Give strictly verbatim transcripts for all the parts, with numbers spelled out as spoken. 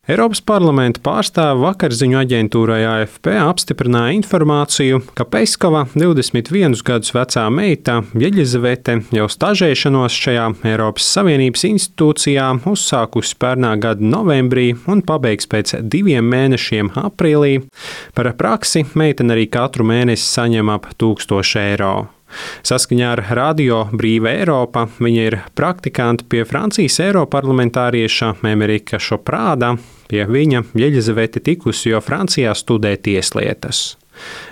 Eiropas parlamenta pārstāve vakarziņu aģentūrai A F P apstiprināja informāciju, ka Peskova divdesmit vienus gadus vecā meita Jeļizavete jau stažēšanos šajā Eiropas Savienības institūcijā uzsākusi pērnā gada novembrī un pabeigs pēc diviem mēnešiem aprīlī. Par praksi meitene arī katru mēnesi saņem ap tūkstošu eiro. Saskaņā ar Radio Brīva Eiropa viņa ir praktikante pie Francijas eiroparlamentārieša Emerika Šoprāda. Pie viņa Jeļizavete tikusi, jo Francijā studē tieslietas.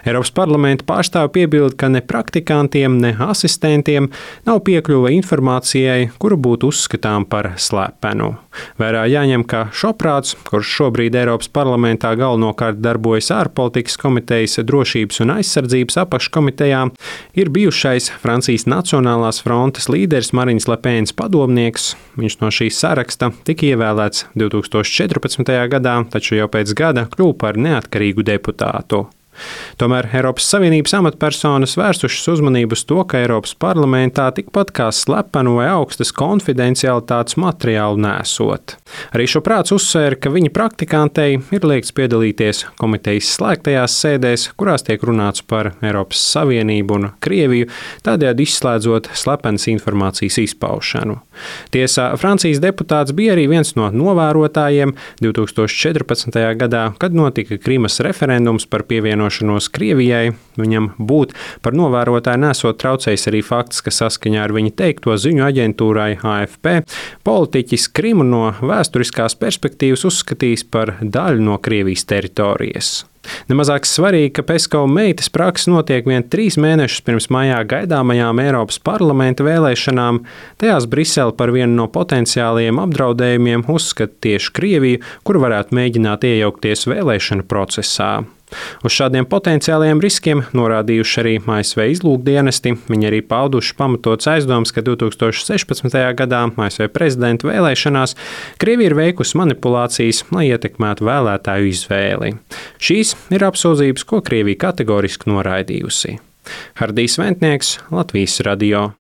Eiropas parlamenta pārstāve piebilda, ka ne praktikantiem, ne asistentiem nav piekļuve informācijai, kura būtu uzskatām par slepenu. Vērā jāņem, ka Šoprāds, kurš šobrīd Eiropas parlamentā galvenokārt darbojas ārpolitikas komitejas drošības un aizsardzības apakškomitejā, ir bijušais Francijas Nacionālās frontes līderis Marinas Le Penas padomnieks. Viņš no šīs saraksta tika ievēlēts divtūkstoš četrpadsmitajā gadā, taču jau pēc gada kļuva par neatkarīgu deputātu. Tomēr Eiropas Savienības amatpersonas vērsušas uzmanību uz to, ka Eiropas parlamentā tikpat kā slepenu vai augstas konfidencialitātes materiālu nesot. Arī Šoprāds uzsvēra, ka viņa praktikantei ir liegts piedalīties komitejas slēgtajās sēdēs, kurās tiek runāts par Eiropas Savienību un Krieviju, tādējādi izslēdzot slepenas informācijas izpaušanu. Tiesā Francijas deputāts bija arī viens no novērotājiem divtūkstoš četrpadsmitajā gadā, kad notika Krimas referendums par pievienošanos Krievijai. Viņam būt par novērotāju nesot traucējis arī fakts, ka saskaņā ar viņa teikto ziņu aģentūrai A F P politiķis Krimu no vēsturiskās perspektīvas uzskatījis par daļu no Krievijas teritorijas. Nemazāk svarīgi, ka Peskova meitas praksa notiek vien trīs mēnešus pirms maijā gaidāmajām Eiropas parlamenta vēlēšanām. Tajās Brisele par vienu no potenciālajiem apdraudējumiem uzskata tieši Krieviju, kur varētu mēģināt iejaukties vēlēšanu procesā. Uz šādiem potenciālajiem riskiem norādījuši arī A S V izlūkdienesti. Viņi arī pauduši pamatots aizdoms, ka divtūkstoš sešpadsmitajā gadā A S V prezidenta vēlēšanās Krievija ir veikusi manipulācijas, lai ietekmētu vēlētāju izvēli. Šīs ir apsūdzības, ko Krievija kategoriski noraidījusi. Hardijs Ventnieks, Latvijas radio.